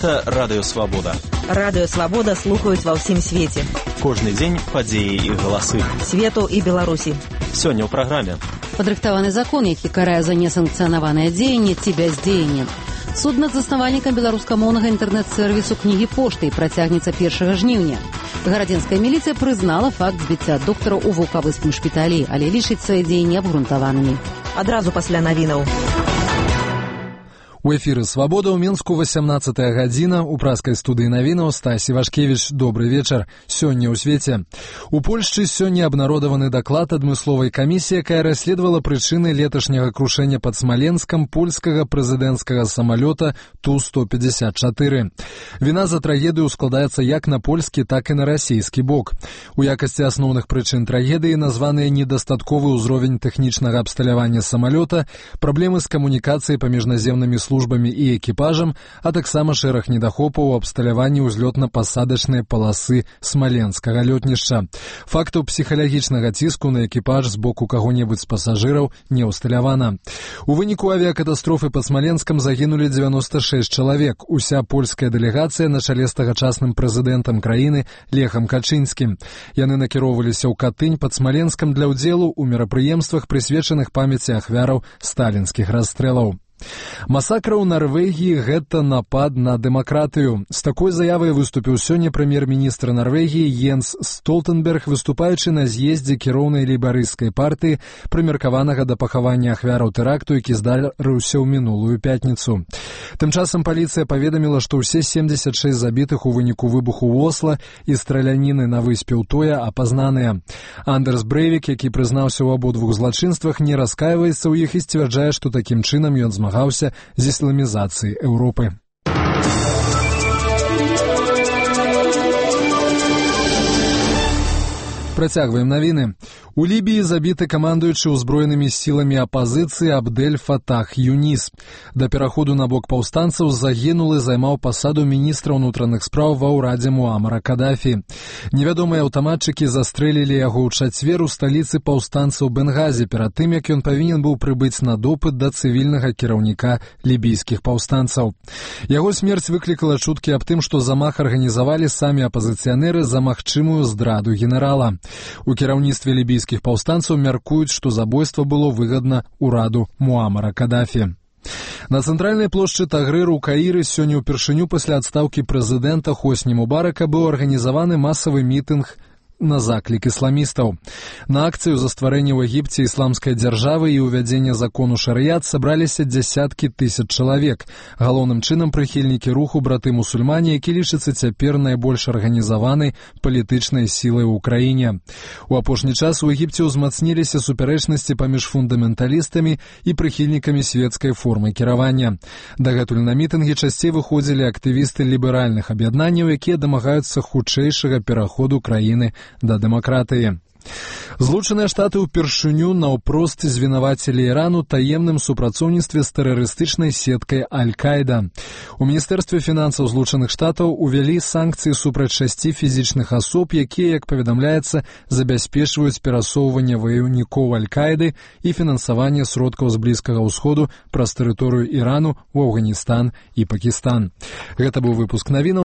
Гэта Радыё Свабода. Радыё Свабода слухаюць ва ўсім свеце. Кожны дзень падзеі і галасы. Свету і Беларусі. Сёння ў праграме. Падрыхтаваны закон, які карае за несанкцыянаванае дзеянне ці бяздзеянне. Суд над заснавальнікам беларускамоўнага інтэрнэт-сэрвісу кнігі пошты працягнецца 1 жніўня. Гарадзенская міліцыя прызнала факт збіцця доктара ў вулкавыскім шпіталі, але лічыць свае дзеянні абгрунтаванымі. Адразу пасля навінаў. У эфіры «Свабода» ў Мінску 18-я гадзіна. У праскай студыі навінаў Стась Івашкевіч. Добры вечар. Сёння ў свеце. У Польшчы сёння абнародаваны даклад адмысловай камісіі, якая расследавала прычыны леташняга крушэння пад Смаленскам польскага прэзідэнцкага самалёта Ту-154. Віна за трагедыю складаецца як на польскі, так і на расійскі бок. У якасці асноўных прычын трагедыі названыя недастатковы ўзровень тэхнічнага абсталявання самалёта, праблемы з камунікацыяй паміж наземнымі службамі і экіпажам, а таксама шэраг недахопаў у абсталяванні ўзлётна-пасадачнай паласы смаленскага лётнішча. Фактаў псіхалагічнага ціску на экіпаж з боку каго-небудзь з пасажыраў не ўсталявана. У выніку авіякатастрофы пад Смаленскам загінулі 96 чалавек. Уся польская дэлегацыя на чале з тагачасным прэзідэнтам краіны Лехам Качынскім. Яны накіроўваліся ў Катынь пад Смаленскам для ўдзелу ў мерапрыемствах, прысвечаных памяці ахвяраў сталінскіх расстрэлаў. Масакра ў Нарвегіі – гэта напад на дэмакратыю. З такой заявай выступіў сёння прэм'ер-міністр Нарвегіі Йенс Столтенберг, выступаючы на з'ездзе кіроўнай лейбарысцкай партыі, прымеркаванага да пахавання ахвяраў тэракту, які здарыўся ў мінулую пятніцу. Тым часам паліцыя паведаміла, што ўсе 76 забітых у выніку выбуху ў Осла і страляніны на выспе Утоя апазнаныя. Андерс Брэйвік, які прызнаўся ў абодвух злачынствах, не раскайваецца ў іх і сцвярджае, што такім чынам ён змагаўся з ісламізацыяй Еўропы. Працягваем навіны. У Лібіі забіты камандуючы ўзброенымі сіламі апазіцыі Абдель Фатах Юніс. Да пераходу на бок паўстанцаў загінулы займаў пасаду міністра ўнутраных спраў ва ўрадзе Муамара Кадафі. Невядомыя аўтаматчыкі застрэлілі яго ў чацвер у сталіцы паўстанцаў Бенгазі перад тым, як ён павінен быў прыбыць на допыт да цывільнага кіраўніка лібійскіх паўстанцаў. Яго смерць выклікала чуткі аб тым, што замах арганізавалі самі апазіцыянеры за магчымую здраду генерала. У кіраўніцтве лібійскіх паўстанцаў мяркуюць, што забойства было выгадна ўраду Муамара Кадафі. На цэнтральнай плошчы Тагрыру ў Каіры сёння ўпершыню пасля адстаўкі прэзідэнта Хосні Мубарака быў арганізаваны масавы мітынг на заклік ісламістаў. На акцыю за стварэнне ў Егіпце ісламскай дзяржавы і ўвядзення закону шарыят сабраліся дзясяткі тысяч чалавек. Галоўным чынам прыхільнікі руху браты-мусульмане, які лічыцца цяпер найбольш арганізаванай палітычнай сілай у краіне. У апошні час у Егіпце ўзмацніліся супярэчнасці паміж фундаменталістамі і прыхільнікамі свецкай формы кіравання. Дагэтуль на мітынгі часцей выходзілі актывісты ліберальных аб'яднанняў, якія дамагаюцца хутчэйшага пераходу краіны да дэмакратыі. Злучаныя Штаты ўпершыню наўпрост звінавацілі Іран у таемным супрацоўніцтве з тэрарыстычнай сеткай Аль-Каіда. У Міністэрстве фінансаў Злучаных Штатаў увялі санкцыі супраць 6 фізічных асоб, якія, як паведамляецца, забяспечваюць перасоўванне ваяўнікоў Аль-Каіды і фінансаванне сродкаў з Блізкага ўсходу праз тэрыторыю Ірану ў Афганістан і Пакістан. Гэта быў выпуск навінаў.